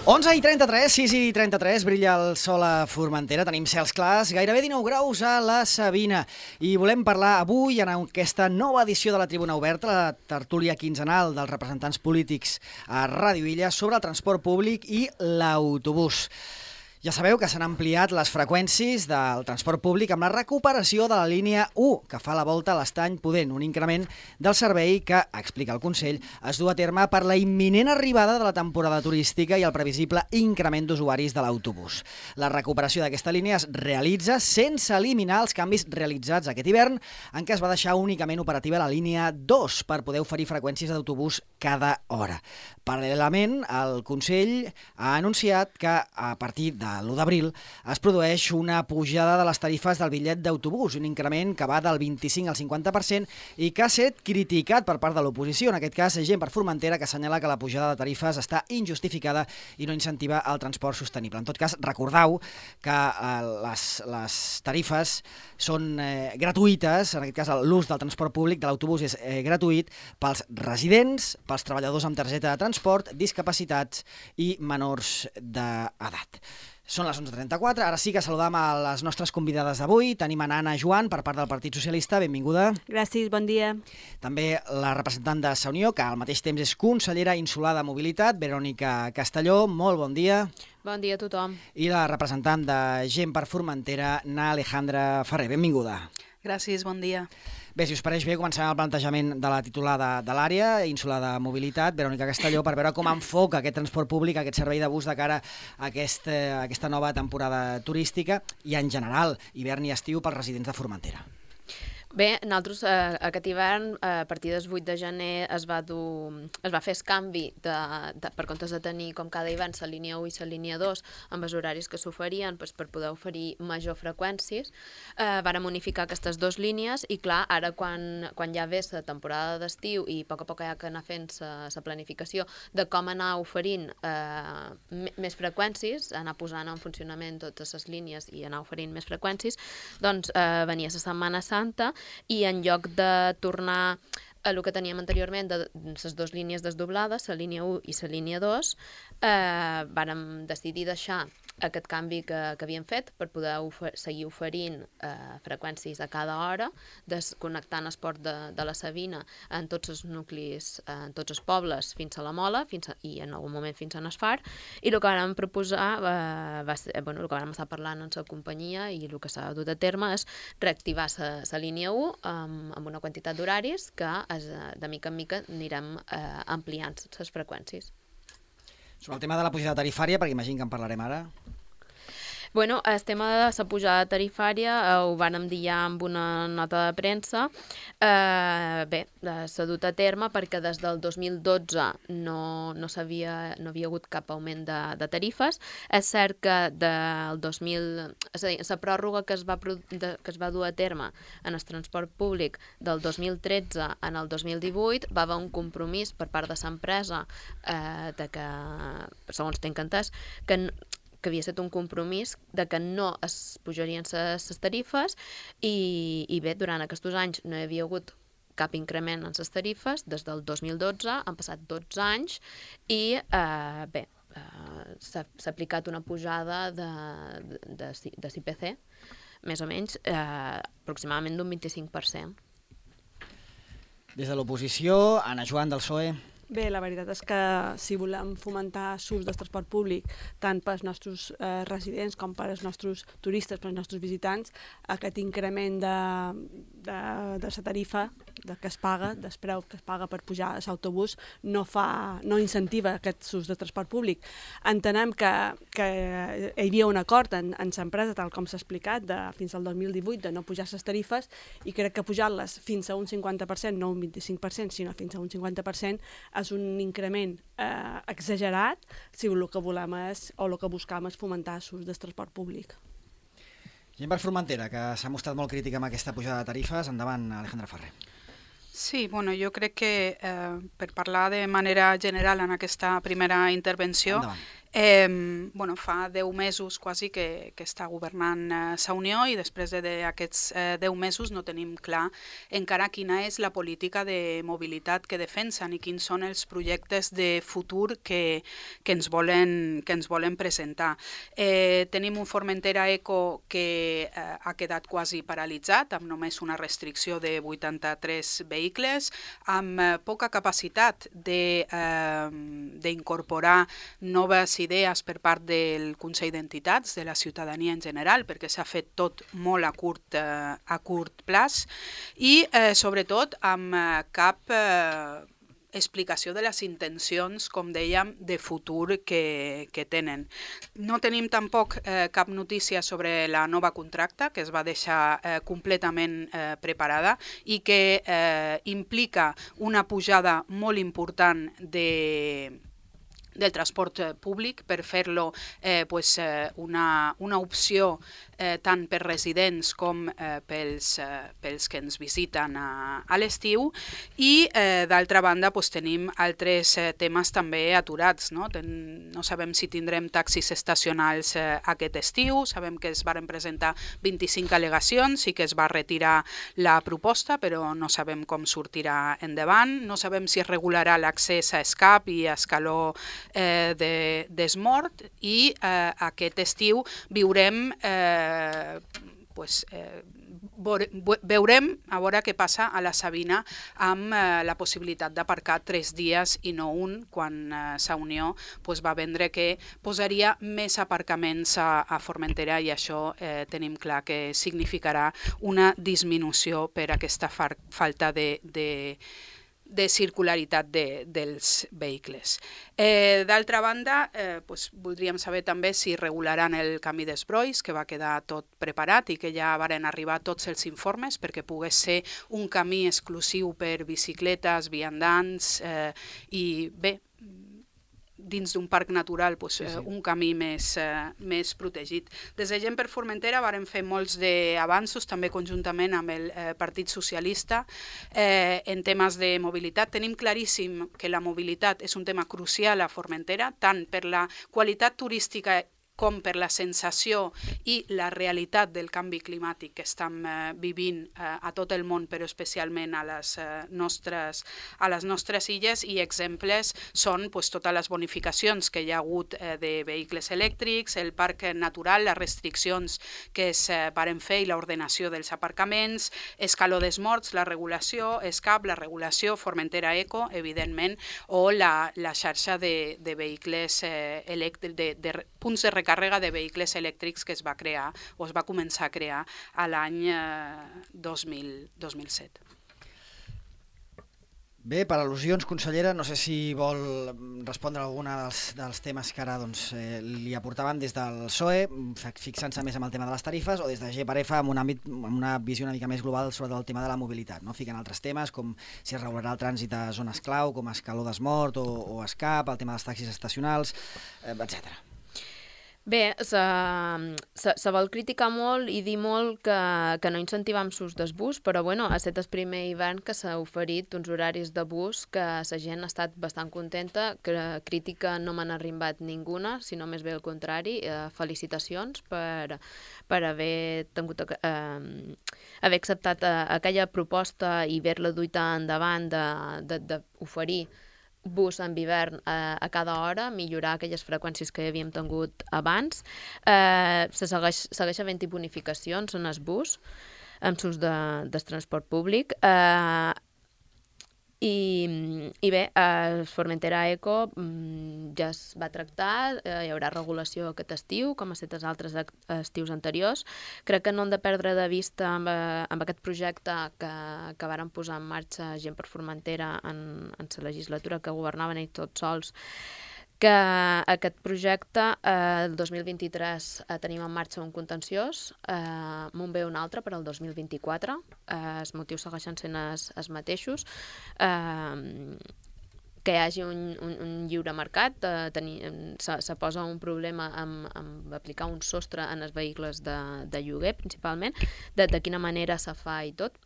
11:33, 6:33, brilla el sol a Formentera, tenim cels clars, gairebé 19 graus a la Sabina. I volem parlar avui, en aquesta nova edició de la Tribuna Oberta, la tertúlia quinzenal dels representants polítics a Ràdio Illa, sobre el transport públic i l'autobús. Ja sabeu que s'han ampliat les freqüències del transport públic amb la recuperació de la línia 1, que fa la volta a l'Estany Pudent, un increment del servei que, explica el Consell, es du a terme per la imminent arribada de la temporada turística i el previsible increment d'usuaris de l'autobús. La recuperació d'aquesta línia es realitza sense eliminar els canvis realitzats aquest hivern, en què es va deixar únicament operativa la línia 2 per poder oferir freqüències d'autobús cada hora. Paral·lelament, el Consell ha anunciat que a partir de l'1 d'abril es produeix una pujada de les tarifes del bitllet d'autobús, un increment que va del 25 al 50% i que ha estat criticat per part de l'oposició. En aquest cas, Gent per Formentera, que assenyala que la pujada de tarifes està injustificada i no incentiva el transport sostenible. En tot cas, recordeu que les tarifes són gratuïtes, en aquest cas l'ús del transport públic de l'autobús és gratuït pels residents, pels treballadors amb targeta de transport, discapacitats i menors d'edat. Són les 11:34, ara sí que saludam a les nostres convidades d'avui. Tenim a Anna Joan, per part del Partit Socialista, benvinguda. Gràcies, bon dia. També la representant de Sa Unió, que al mateix temps és consellera insular de Mobilitat, Verònica Castelló, molt bon dia. Bon dia a tothom. I la representant de Gent per Formentera, Na Alejandra Ferrer, benvinguda. Gràcies, bon dia. Bé, si us pareix bé, començarem el plantejament de la titular de l'àrea, insular de Mobilitat, Verònica Castelló, per veure com enfoca aquest transport públic, aquest servei de bus de cara a aquesta nova temporada turística i, en general, hivern i estiu pels residents de Formentera. Bé, nosaltres aquest hivern, a partir del 8 de gener, es va fer el canvi per comptes de tenir com cada hivern la línia 1 i la línia 2 amb els horaris que s'oferien per poder oferir major freqüències. Vàrem unificar aquestes dues línies i, clar, ara quan ja ve la temporada d'estiu i a poc hi ha que anar fent la planificació de com anar oferint més freqüències, anar posant en funcionament totes les línies i anar oferint més freqüències, doncs venia la Setmana Santa i en lloc de tornar a el que teníem anteriorment de les dues línies desdoblades, la línia 1 i la línia 2, vàrem decidir deixar aquest canvi que havíem fet per poder seguir oferint freqüències a cada hora, desconnectant el port de la Sabina en tots els nuclis, en tots els pobles fins a la Mola i en algun moment fins a Nasfar, i el que vam proposar va ser, el que vam estar parlant amb la companyia i el que s'ha dut a terme és reactivar la línia 1 amb una quantitat d'horaris que de mica en mica anirem ampliant les freqüències. Sobre el tema de la pujada tarifària, perquè imagino que en parlarem ara. Bueno, el tema de la pujada tarifària ho vàrem dir ja amb una nota de premsa. Bé, s'ha dut a terme perquè des del 2012 no havia hagut cap augment de tarifes. És cert que del 2000, és a dir, la pròrroga que es va dur a terme en el transport públic del 2013 en el 2018 va haver un compromís per part de l'empresa de que, segons tinc entès, que havia estat un compromís de que no es pujarien les tarifes i bé, durant aquests anys no hi havia hagut cap increment en les tarifes. Des del 2012 han passat 12 anys i bé, s'ha aplicat una pujada de l'IPC, més o menys, aproximadament d'un 25%. Des de l'oposició, Anna Joan del PSOE. Bé, la veritat és que si volem fomentar l'ús del transport públic tant pels nostres residents com pels nostres turistes, pels nostres visitants, aquest increment de la tarifa que es paga, del preu que es paga per pujar a l'autobús, no incentiva aquest ús de transport públic. Entenem que hi havia un acord en l'empresa, tal com s'ha explicat, fins al 2018 de no pujar les tarifes, i crec que pujar-les fins a un 50%, no un 25%, sinó fins a un 50%, és un increment exagerat si el que volem és, o el que buscam és fomentar l'ús del transport públic. Gent per Formentera, que s'ha mostrat molt crítica amb aquesta pujada de tarifes. Endavant, Alejandra Ferrer. Sí, bueno, jo crec que per parlar de manera general en aquesta primera intervenció, Fa 10 mesos quasi que està governant Sa Unió i després d'aquests 10 mesos no tenim clar encara quina és la política de mobilitat que defensen i quins són els projectes de futur que ens volen presentar. Tenim un Formentera Eco que ha quedat quasi paralitzat, amb només una restricció de 83 vehicles, amb poca capacitat d'incorporar noves idees per part del Consell d'Entitats, de la ciutadania en general, perquè s'ha fet tot molt a curt plaç i sobretot amb cap explicació de les intencions, com dèiem, de futur que tenen. No tenim tampoc cap notícia sobre la nova contracta, que es va deixar completament preparada i que implica una pujada molt important del transport públic per fer-lo una opció tant per residents com pels que ens visiten a l'estiu i d'altra banda tenim altres temes també aturats. No sabem si tindrem taxis estacionals aquest estiu, sabem que es varen presentar 25 al·legacions i que es va retirar la proposta, però no sabem com sortirà endavant, no sabem si es regularà l'accés a escap i a escaló d'esmort i aquest estiu veurem a veure què passa a la Sabina amb la possibilitat d'aparcar 3 dies i no un, quan Sa Unió va vendre que posaria més aparcaments a Formentera i això tenim clar que significarà una disminució per aquesta falta de circularitat dels vehicles. D'altra banda, voldríem saber també si regularan el camí d'Esbrois, que va quedar tot preparat i que ja varen arribar tots els informes perquè pogués ser un camí exclusiu per bicicletes, viandants i bé, dins d'un parc natural, un camí més protegit. Des de Gent per Formentera varen fer molts d'avanços, també conjuntament amb el Partit Socialista, en temes de mobilitat. Tenim claríssim que la mobilitat és un tema crucial a Formentera, tant per la qualitat turística com per la sensació i la realitat del canvi climàtic que estem vivint a tot el món, però especialment a les nostres illes, i exemples són totes les bonificacions que hi ha hagut de vehicles elèctrics, el parc natural, les restriccions que es varen fer i l'ordenació dels aparcaments, escaló d'esmorts, la regulació, ESCAP, la regulació, Formentera Eco, evidentment, o la xarxa de vehicles elèctrics, de punts de recàrrega de vehicles elèctrics que es va crear o es va començar a crear a l'any 2007. Bé, per al·lusions, consellera, no sé si vol respondre a algun dels temes que ara li aportaven des del PSOE, fixant-se més en el tema de les tarifes, o des de G/F amb una visió una mica més global sobre el tema de la mobilitat, ficant altres temes com si es regularà el trànsit a zones clau, com escaló d'esmort o escap, el tema dels taxis estacionals, etc. Bé, se vol criticar molt i dir molt que no incentivam l'ús del bus, però bueno, aquest és el primer hivern que s'ha oferit uns horaris de bus que la gent ha estat bastant contenta, que crítica no m'han arribat ninguna, sinó més bé al contrari. Felicitacions per haver acceptat aquella proposta i haver-la duit endavant d'oferir bus en hivern a cada hora, millorar aquelles freqüències que havíem tingut abans. Segueix havent-hi bonificacions en el bus, amb l'ús del transport públic. I bé, el Formentera Eco ja es va tractar, hi haurà regulació aquest estiu, com ha estat els altres estius anteriors. Crec que no hem de perdre de vista amb aquest projecte que varen posar en marxa Gent per Formentera en la legislatura que governaven ells tots sols, que aquest projecte, el 2023 tenim en marxa un contenciós, m'on ve un altre per al 2024, els motius segueixen sent els mateixos, que hi hagi un lliure mercat, se posa un problema amb aplicar un sostre en els vehicles de lloguer, principalment, de quina manera se fa i tot.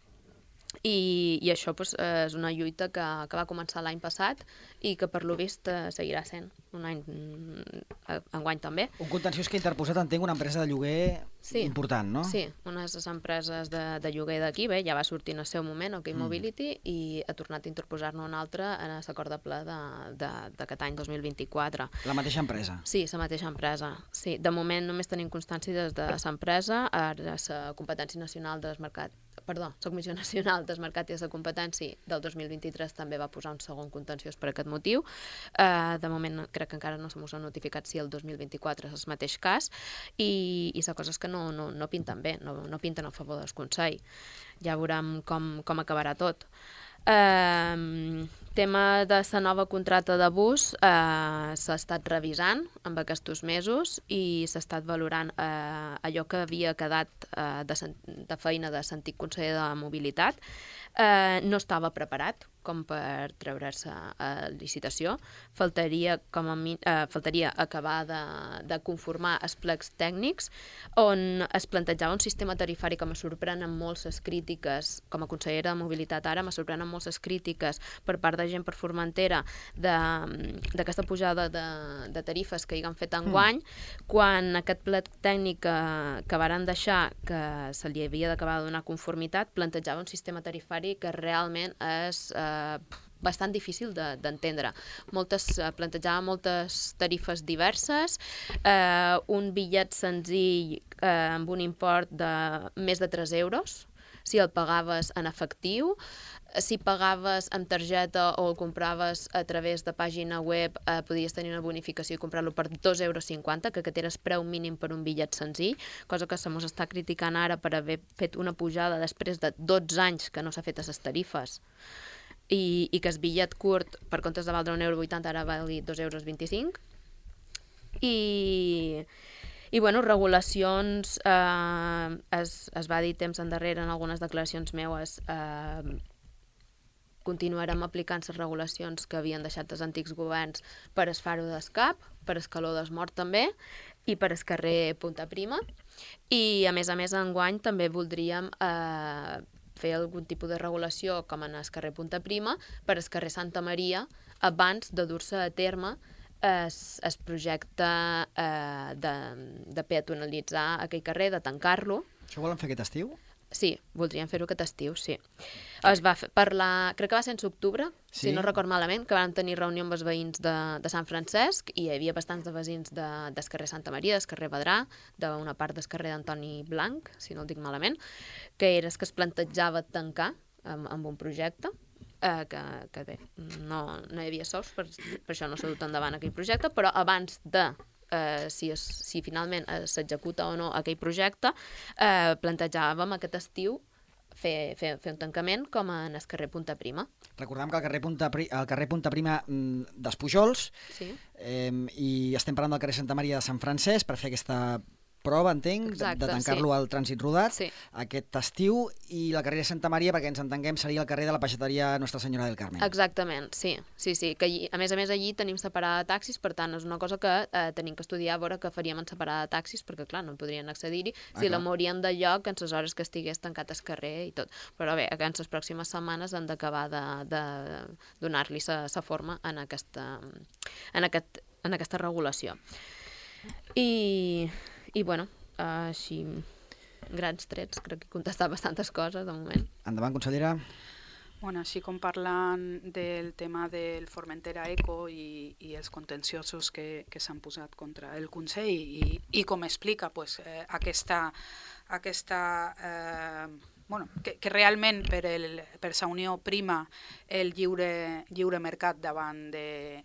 I això és una lluita que va començar l'any passat i que per lo vist seguirà sent un any enguany també. Un contenciós que ha interposat, entenc, una empresa de lloguer important, no? Sí, unes empreses de lloguer d'aquí, bé, ja va sortir en el seu moment, OK Mobility, i ha tornat a interposar-ne una altra en l'acord de ple d'aquest any 2024. La mateixa empresa? Sí, la mateixa empresa. Sí, de moment només tenim constància des de l'empresa, ara la Competència Nacional del Mercat, la Comissió Nacional del Mercat i de la Competència del 2023 també va posar un segon contenciós per aquest motiu. De moment crec que encara no s'ha notificat si el 2024 és el mateix cas, i la cosa és que no pinten bé, no pinten a favor del Consell. Ja veurem com acabarà tot. Tema de la nova contracta de bus s'ha estat revisant en aquests mesos i s'ha estat valorant allò que havia quedat de feina de l'antic conseller de Mobilitat. No estava preparat com per treure's a licitació. Faltaria acabar de conformar els plecs tècnics on es plantejava un sistema tarifari que me sorprenen molt les crítiques, com a consellera de Mobilitat ara, me sorprenen molt les crítiques per part de gent per Formentera d'aquesta pujada de tarifes que hi han fet enguany, quan aquest plec tècnic que varen deixar, que se li havia d'acabar de donar conformitat, plantejava un sistema tarifari que realment és bastant difícil d'entendre. Plantejava moltes tarifes diverses, un bitllet senzill amb un import de més de 3 euros, si el pagaves en efectiu. Si pagaves amb targeta o el compraves a través de pàgina web, podies tenir una bonificació i comprar-lo per 2,50 euros, que aquest era el preu mínim per un bitllet senzill, cosa que se mos està criticant ara per haver fet una pujada després de 12 anys que no s'ha fet a les tarifes, i que el bitllet curt, per comptes de valdre 1,80 €, ara valgui 2,25 €. I bueno, regulacions, es va dir temps endarrere en algunes declaracions meues, continuarem aplicant les regulacions que havien deixat els antics governs per el Faro d'Escap, per el Caló d'Esmort també, i per el carrer Punta Prima. I a més, enguany també voldríem fer algun tipus de regulació, com en el carrer Punta Prima, per el carrer Santa Maria, abans de dur-se a terme el projecte de peatonalitzar aquell carrer, de tancar-lo. Això ho volen fer aquest estiu? Sí, voldríem fer-ho aquest estiu, sí. Es va parlar, crec que va ser en octubre, si no record malament, que van tenir reunió amb els veïns de Sant Francesc, i hi havia bastants de veïns del carrer Santa Maria, del carrer Vedrà, d'una part del carrer d'Antoni Blanc, si no el dic malament, que era que es plantejava tancar amb un projecte, que bé, no hi havia sols, per això no s'ha dut endavant aquell projecte, però abans de si finalment s'executa o no aquell projecte, plantejàvem aquest estiu fer un tancament com en el carrer Punta Prima. Recordem que el carrer Punta Prima dels Pujols, i estem parlant del carrer Santa Maria de Sant Francesc per fer aquesta prova, entenc, de tancar-lo al trànsit rodat aquest estiu, i la carrera Santa Maria, perquè ens entenguem, seria el carrer de la peixateria Nostra Senyora del Carmen. Exactament, sí, que a més allí tenim separada de taxis, per tant és una cosa que tenim que estudiar, a veure què faríem en separada de taxis, perquè clar, no podrien accedir-hi, si la mourien de lloc en les hores que estigués tancat el carrer i tot. Però bé, en les pròximes setmanes han d'acabar de donar-li la forma en aquesta regulació. I bueno, així, grans trets, crec que he contestat bastantes coses de moment. Endavant, consellera. Bueno, així com parlant del tema del Formentera Eco i els contenciosos que s'han posat contra el Consell i com explica aquesta que realment per la Unió prima el lliure mercat davant de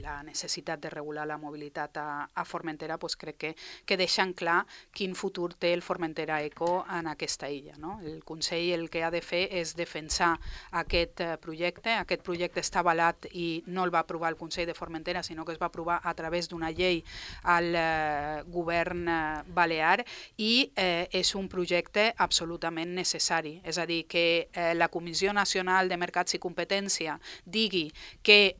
la necessitat de regular la mobilitat a Formentera, crec que deixen clar quin futur té el Formentera Eco en aquesta illa. El Consell el que ha de fer és defensar aquest projecte. Aquest projecte està avalat i no el va aprovar el Consell de Formentera, sinó que es va aprovar a través d'una llei al govern balear, i és un projecte absolutament necessari. És a dir, que la Comissió Nacional de Mercats i Competència digui que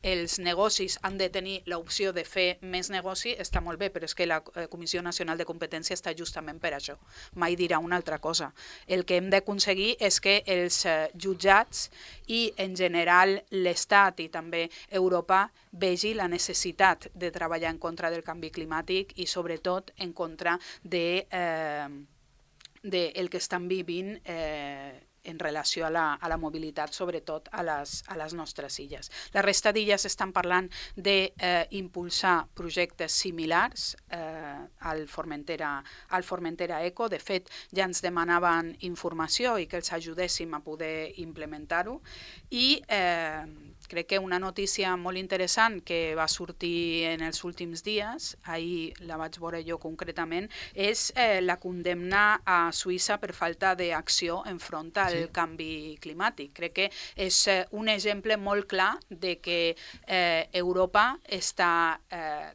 els negocis han de tenir l'opció de fer més negoci, està molt bé, però és que la Comissió Nacional de Competència està justament per això. Mai dirà una altra cosa. El que hem d'aconseguir és que els jutjats i, en general, l'Estat i també Europa vegi la necessitat de treballar en contra del canvi climàtic i, sobretot, en contra del que estan vivint en relació a la mobilitat, sobretot a les nostres illes. La resta d'illes estan parlant d'impulsar projectes similars al Formentera Eco. De fet, ja ens demanaven informació i que els ajudéssim a poder implementar-ho. I crec que una notícia molt interessant que va sortir en els últims dies, ahir la vaig veure jo concretament, és la condemna a Suïssa per falta d'acció enfront al canvi climàtic. Crec que és un exemple molt clar de que Europa està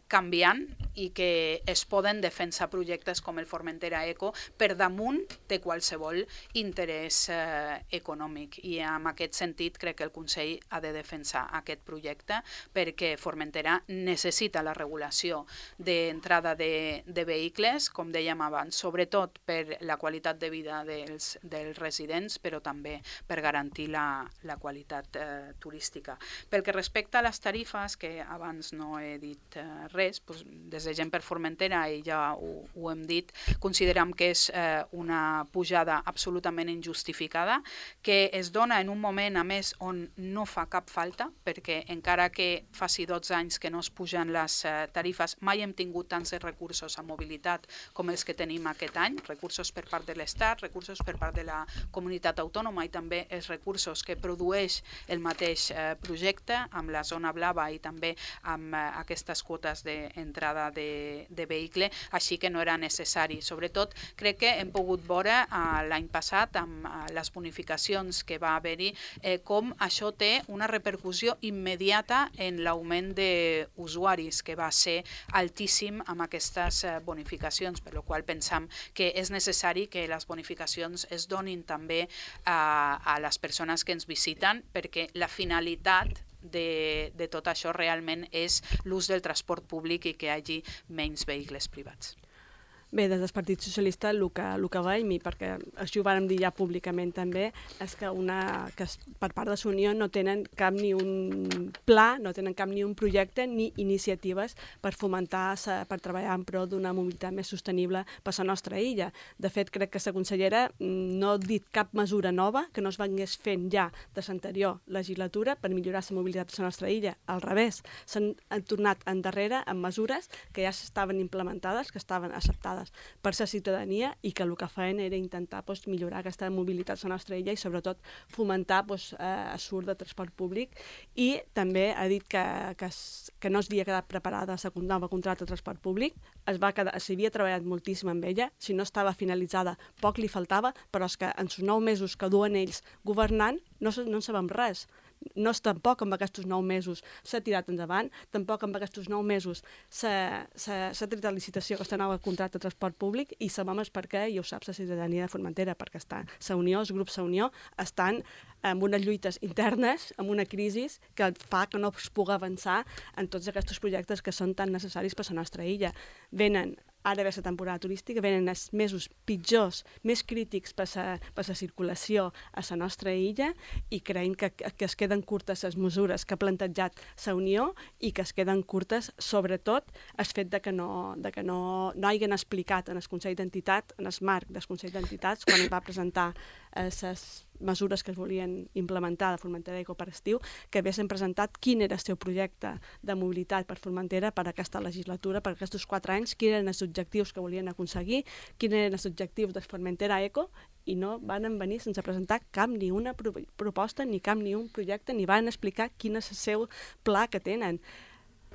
canviant i que es poden defensar projectes com el Formentera Eco per damunt de qualsevol interès econòmic. I en aquest sentit crec que el Consell ha de defensar aquest projecte perquè Formentera necessita la regulació d'entrada de vehicles, com dèiem abans, sobretot per la qualitat de vida dels residents, però també per garantir la qualitat turística. Pel que respecta a les tarifes, que abans no he dit res, doncs, des de Gent per Formentera, i ja ho hem dit, considerem que és una pujada absolutament injustificada, que es dona en un moment, a més, on no fa cap falta, perquè encara que faci 12 anys que no es pugen les tarifes, mai hem tingut tants recursos a mobilitat com els que tenim aquest any, recursos per part de l'Estat, recursos per part de la comunitat autònoma i també els recursos que produeix el mateix projecte amb la zona blava i també amb aquestes quotes d'entrada de vehicle, així que no era necessari. Sobretot, crec que hem pogut veure l'any passat amb les bonificacions que va haver-hi com això té una repercussió immediata en l'augment d'usuaris, que va ser altíssim amb aquestes bonificacions, per la qual pensam que és necessari que les bonificacions es donin també a les persones que ens visiten, perquè la finalitat de tot això realment és l'ús del transport públic i que hi hagi menys vehicles privats. Bé, des del Partit Socialista el que veiem, i perquè això ho vàrem dir ja públicament també, és que per part de la Unió no tenen cap ni un pla, no tenen cap ni un projecte ni iniciatives per fomentar, per treballar en pro d'una mobilitat més sostenible per la nostra illa. De fet, crec que la consellera no ha dit cap mesura nova que no es vengués fent ja de l'anterior legislatura per millorar la mobilitat de la nostra illa. Al revés, s'han tornat endarrere amb mesures que ja estaven implementades, que estaven acceptades per la ciutadania i que el que feien era intentar millorar aquesta mobilitat a la nostra illa i sobretot fomentar l'ús de transport públic. I també ha dit que no s'havia quedat preparada la nova contracte de transport públic, s'havia treballat moltíssim amb ella, si no estava finalitzada poc li faltava, però és que en els 9 mesos que duen ells governant no en sabem res. No és tampoc amb aquests 9 mesos s'ha tirat endavant, tampoc amb aquests 9 mesos s'ha tret a licitació aquesta nova contracte de transport públic i sabem per què, i ho sap la ciutadania de Formentera, perquè la Unió, els grups de la Unió, estan amb unes lluites internes, amb una crisi que fa que no es pugui avançar en tots aquests projectes que són tan necessaris per a la nostra illa. Ara ve la temporada turística, venen els mesos pitjors, més crítics per la circulació a la nostra illa i creiem que es queden curtes les mesures que ha plantejat la Unió i que es queden curtes, sobretot, el fet que no hagin explicat en el Consell d'Entitat, en el marc del Consell d'Entitats, quan es va presentar les mesures que es volien implementar de Formentera Eco per estiu, que haguessin presentat quin era el seu projecte de mobilitat per Formentera per aquesta legislatura, per aquests 4 anys, quins eren els objectius que volien aconseguir, quins eren els objectius de Formentera Eco, i no van venir sense presentar cap ni una proposta, ni cap ni un projecte, ni van explicar quin és el seu pla que tenen.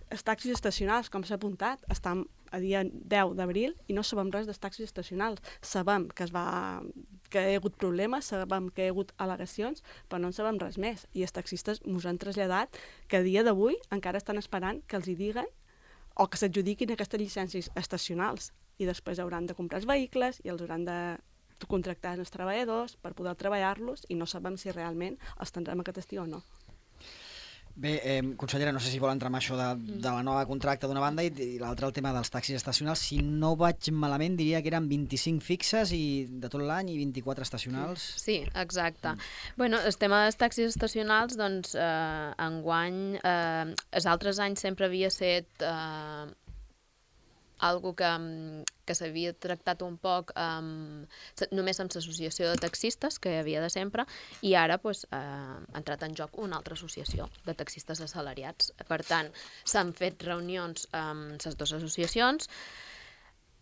Els taxis estacionals, com s'ha apuntat, estan a dia 10 d'abril i no sabem res dels taxis estacionals. Sabem que hi ha hagut problemes, sabem que hi ha hagut al·legacions, però no en sabem res més. I els taxistes ens han traslladat que a dia d'avui encara estan esperant que els hi diguen o que s'adjudiquin aquestes llicències estacionals i després hauran de comprar els vehicles i els hauran de contractar els treballadors per poder treballar-los i no sabem si realment els tindrem aquest estiu o no. Bé, consellera, no sé si vol entrar en això de la nova contracta d'una banda i l'altra el tema dels taxis estacionals. Si no vaig malament, diria que eren 25 fixes i de tot l'any i 24 estacionals. Sí, exacte. Bueno, el tema dels taxis estacionals, doncs, enguany, els altres anys sempre havia estat algo que s'havia tractat un poc només amb l'associació de taxistes, que hi havia de sempre, i ara ha entrat en joc una altra associació de taxistes assalariats. Per tant, s'han fet reunions amb les dues associacions,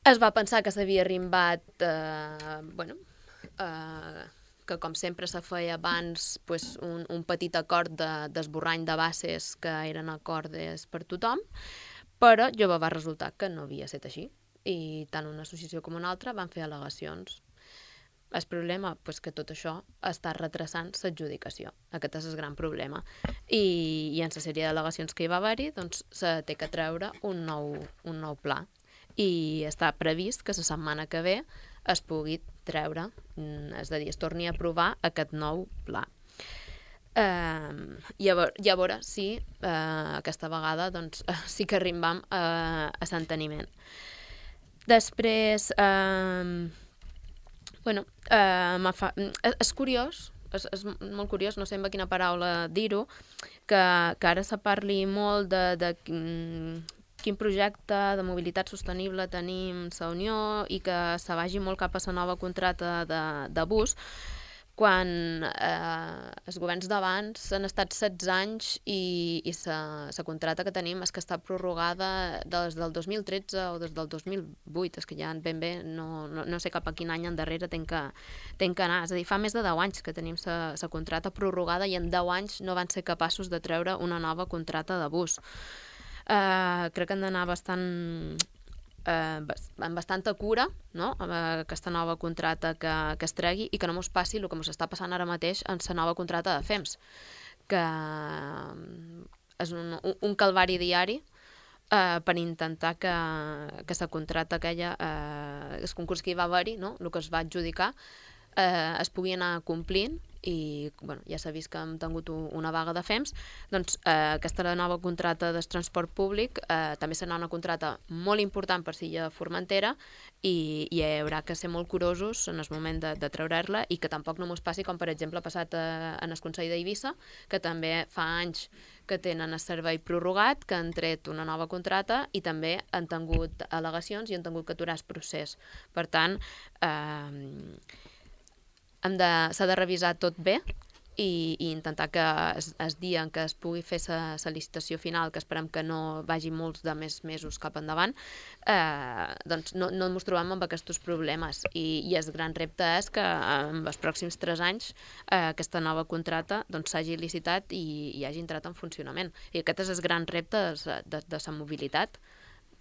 es va pensar que s'havia arrimbat, que com sempre se feia abans, un petit acord d'esborrany de bases que eren acordes per tothom, però jove va resultar que no havia estat així i tant una associació com una altra van fer al·legacions. El problema és que tot això està retrasant l'adjudicació. Aquest és el gran problema. I en la sèrie d'al·legacions que hi va haver-hi, doncs se té que treure un nou pla. I està previst que la setmana que ve es pugui treure, és a dir, es torni a aprovar aquest nou pla. I a veure si aquesta vegada sí que arribam a l'enteniment. Després, és curiós, és molt curiós, no sé amb quina paraula dir-ho, que ara se parli molt de quin projecte de mobilitat sostenible tenim a Unió i que se vagi molt cap a la nova contracta de bus, quan els governs d'abans han estat 16 anys i la contracta que tenim és que està prorrogada des del 2013 o des del 2008, és que ja ben bé no sé cap a quin any endarrere tenc que anar. És a dir, fa més de 10 anys que tenim la contracta prorrogada i en 10 anys no van ser capaços de treure una nova contracta de bus. Crec que han d'anar amb bastanta cura, no?, amb aquesta nova contracta que es tregui i que no mos passi el que mos està passant ara mateix en la nova contracta de FEMS, que és un calvari diari per intentar que la contracta aquella, el concurs que hi va haver-hi, no?, el que es va adjudicar, es pugui anar complint i ja s'ha vist que hem tingut una vaga de FEMS, doncs aquesta nova contracta del transport públic també serà una contracta molt important per Silla Formentera i hi haurà que ser molt curosos en el moment de treure-la i que tampoc no mos passi com per exemple ha passat en el Consell d'Eivissa, que també fa anys que tenen el servei prorrogat, que han tret una nova contracta i també han tingut al·legacions i han tingut que aturar el procés. Per tant, s'ha de revisar tot bé i intentar que el dia en què es pugui fer la licitació final, que esperem que no vagi molts de més mesos cap endavant, doncs no ens trobem amb aquests problemes. I el gran repte és que en els pròxims 3 anys aquesta nova contracta s'hagi licitat i hagi entrat en funcionament. I aquest és el gran repte de la mobilitat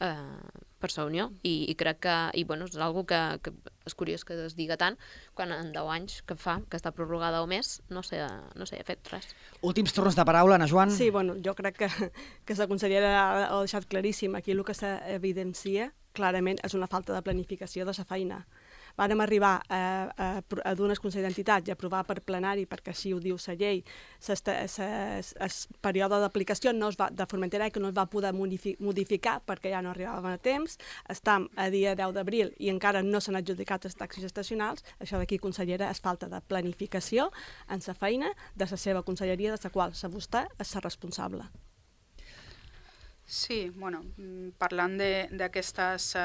per la Unió i crec que és algo que és curiós que es diga tant quan en 10 anys que fa que està prorrogada o més no s'ha fet res. Últims torns de paraula, Ana Joan. Sí, jo crec que la consellera ha deixat claríssim. Aquí el que s'evidencia clarament és una falta de planificació de la feina. Vàrem arribar a donar el Consell d'Entitats i aprovar per plenari, perquè així ho diu la llei, el període d'aplicació de Formentera que no es va poder modificar perquè ja no arribàvem a temps. Estem a dia 10 d'abril i encara no s'han adjudicat els taxis estacionals. Això d'aquí, consellera, és falta de planificació en la feina de la seva conselleria, de la qual vostè és la responsable. Sí, parlant d'aquestes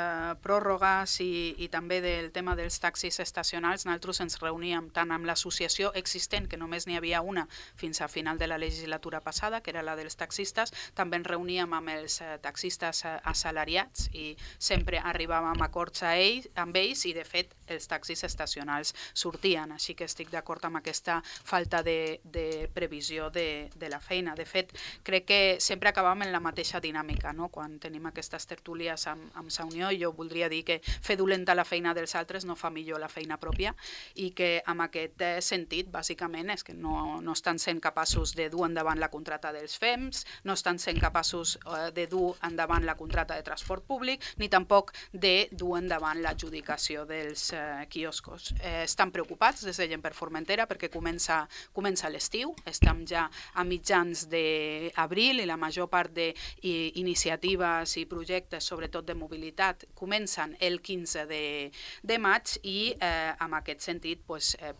pròrrogues i també del tema dels taxis estacionals, nosaltres ens reuníem tant amb l'associació existent, que només n'hi havia una fins a final de la legislatura passada, que era la dels taxistes, també ens reuníem amb els taxistes assalariats i sempre arribàvem a acords amb ells i de fet els taxis estacionals sortien, així que estic d'acord amb aquesta falta de previsió de la feina. De fet, crec que sempre acabàvem en la mateixa dinàmica. dinàmica, no? Quan tenim aquestes tertúlies amb Sa Unió, jo voldria dir que fer dolenta la feina dels altres no fa millor la feina pròpia i que en aquest sentit, bàsicament, és que no estan sent capaços de dur endavant la contracta dels FEMS, no estan sent capaços de dur endavant la contracta de transport públic, ni tampoc de dur endavant l'adjudicació dels quioscos. Estan preocupats des de Gent per Formentera perquè comença l'estiu, estem ja a mitjans d'abril i la major part d'iniciatives i projectes, sobretot de mobilitat, comencen el 15 de maig i en aquest sentit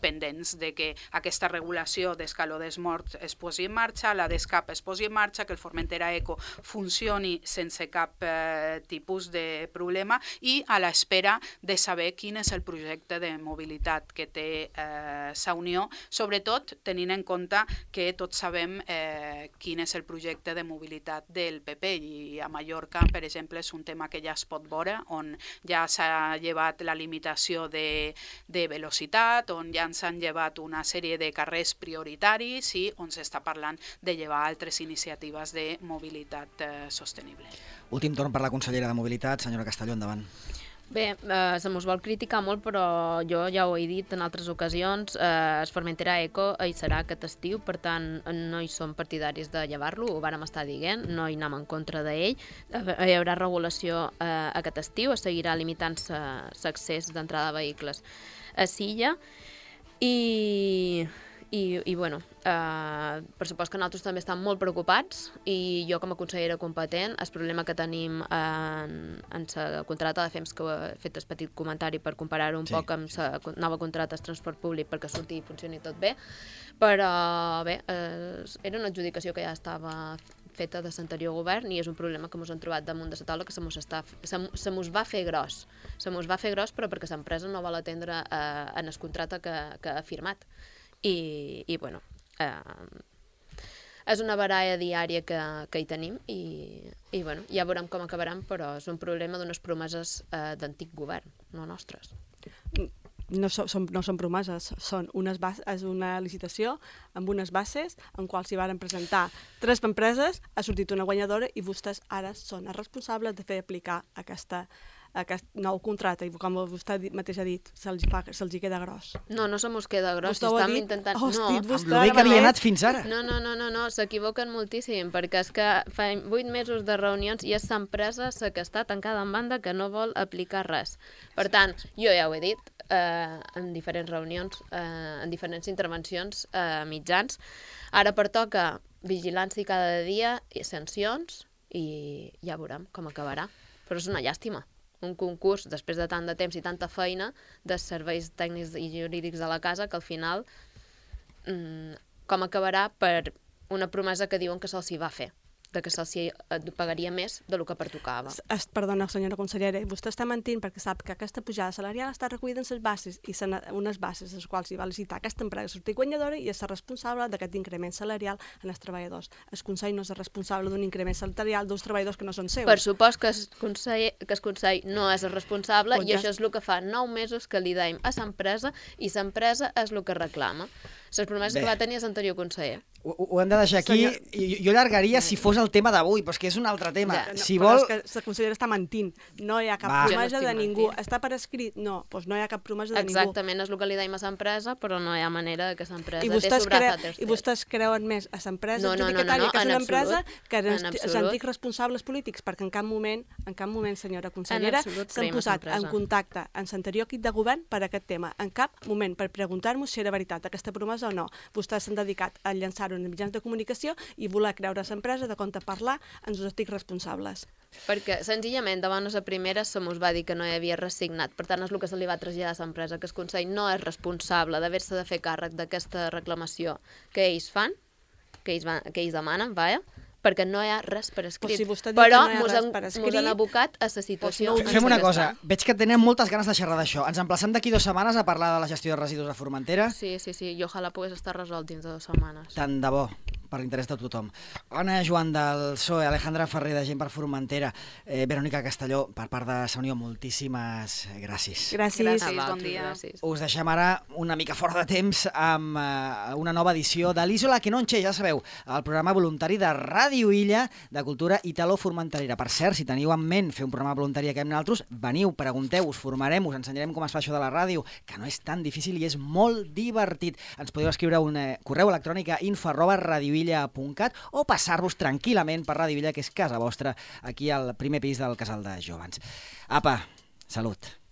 pendents de que aquesta regulació d'escaló dels morts es posi en marxa, la d'escap es posi en marxa, que el Formentera Eco funcioni sense cap tipus de problema i a l'espera de saber quin és el projecte de mobilitat que té Sa Unió, sobretot tenint en compte que tots sabem quin és el projecte de mobilitat del PP i a Mallorca, per exemple, és un tema que ja es pot veure, on ja s'ha llevat la limitació de velocitat, on ja ens han llevat una sèrie de carrers prioritaris i on s'està parlant de llevar altres iniciatives de mobilitat sostenible. Últim torn per la consellera de Mobilitat, senyora Castelló, endavant. Bé, se mos vol criticar molt, però jo ja ho he dit en altres ocasions, es Formentera Eco hi serà aquest estiu, per tant no hi som partidaris de llevar-lo, ho vàrem estar dient, no hi anem en contra d'ell, hi haurà regulació aquest estiu, es seguirà limitant-se l'accés d'entrada de vehicles a Silla i bueno, per supost que nosaltres també estem molt preocupats i jo com a consellera competent el problema que tenim en la contracta de FEMS, que he fet el petit comentari per comparar-ho un poc amb la nova contracta de transport públic perquè surti i funcioni tot bé, però bé, era una adjudicació que ja estava feta de l'anterior govern i és un problema que ens hem trobat damunt de la taula que se mos va fer gros. Se mos va fer gros però perquè l'empresa no vol atendre en el contracte que ha firmat. I bueno, és una baralla diària que hi tenim i bueno, ja veurem com acabaran, però és un problema d'unes promeses d'antic govern, no nostres. No són promeses, és una licitació amb unes bases en quals s'hi van presentar 3 empreses, ha sortit una guanyadora i vostès ara són els responsables de fer aplicar aquest nou contracte i com vostè mateix ha dit, se'ls queda gros. No se mos queda gros, estem intentant... Amb el bé que havia anat fins ara. No, s'equivoquen moltíssim, perquè és que fa 8 mesos de reunions i és l'empresa que està tancada en banda que no vol aplicar res. Per tant, jo ja ho he dit en diferents reunions, en diferents intervencions mitjans, ara pertoca vigilància cada dia i sancions i ja veurem com acabarà. Però és una llàstima. Un concurs, després de tant de temps i tanta feina, de serveis tècnics i jurídics de la casa, que al final com acabarà per una promesa que diuen que se'ls hi va fer, de que se'ls pagaria més del que pertocava. Perdona, senyora consellera, vostè està mentint perquè sap que aquesta pujada salarial està recollida en les bases i unes bases les quals hi va licitar aquesta empresa sortir guanyadora i és responsable d'aquest increment salarial en els treballadors. El Consell no és responsable d'un increment salarial dels treballadors que no són seus. Per supost que el Consell no és el responsable i això és el que fa 9 mesos que li deim a l'empresa i l'empresa és el que reclama. Les promeses que va tenir l'anterior conseller. Ho hem de deixar aquí. Jo allargaria si fos el tema d'avui, però és que és un altre tema. Però és que la consellera està mentint. No hi ha cap promesa de ningú. Està per escrit? No, doncs no hi ha cap promesa de ningú. Exactament, és el que li deim a l'empresa, però no hi ha manera que l'empresa té sobrat a tercers. I vostès creuen més a l'empresa adjudicatària, que és una empresa que els antics responsables polítics, perquè en cap moment, senyora consellera, s'han posat en contacte amb l'anterior equip de govern per aquest tema. En cap moment, per preguntar-nos si era veritat aquesta promesa o no. Vostès s'han dedicat a llançar-ho en mitjans de comunicació i voler creure a l'empresa de compte parlar ens ho estic responsables. Perquè, senzillament, davant la primera se mos va dir que no hi havia res signat. Per tant, és el que se li va traslladar a l'empresa, que el Consell no és responsable d'haver-se de fer càrrec d'aquesta reclamació que ells fan, que ells demanen, perquè no hi ha res per escrit. Però ens han abocat a la situació. Fem una cosa, veig que tenen moltes ganes de xerrar d'això. Ens emplacem d'aquí 2 setmanes a parlar de la gestió de residus a Formentera. Sí, i ojalà pogués estar resolt dins de 2 setmanes. Tant de bo. per l'interès de tothom. Anna Joan del PSOE, Alejandra Ferrer de Gent per Formentera, Verònica Castelló, per part de Sa Unió, moltíssimes gràcies. Gràcies. Bon dia. Gràcies. Us deixem ara una mica fora de temps amb una nova edició de l'Isola que Nonche, ja sabeu, el programa voluntari de Ràdio Illa de cultura italo-formenterera. Per cert, si teniu en ment fer un programa voluntari que amb nosaltres, veniu, pregunteu, us formarem, us ensenyarem com es fa això de la ràdio, que no és tan difícil i és molt divertit. Ens podeu escriure un correu electrònic a info@radioilla.cat o passar-vos tranquil·lament per Ràdio Illa, que és casa vostra, aquí al primer pis del Casal de Jóvens. Apa, salut!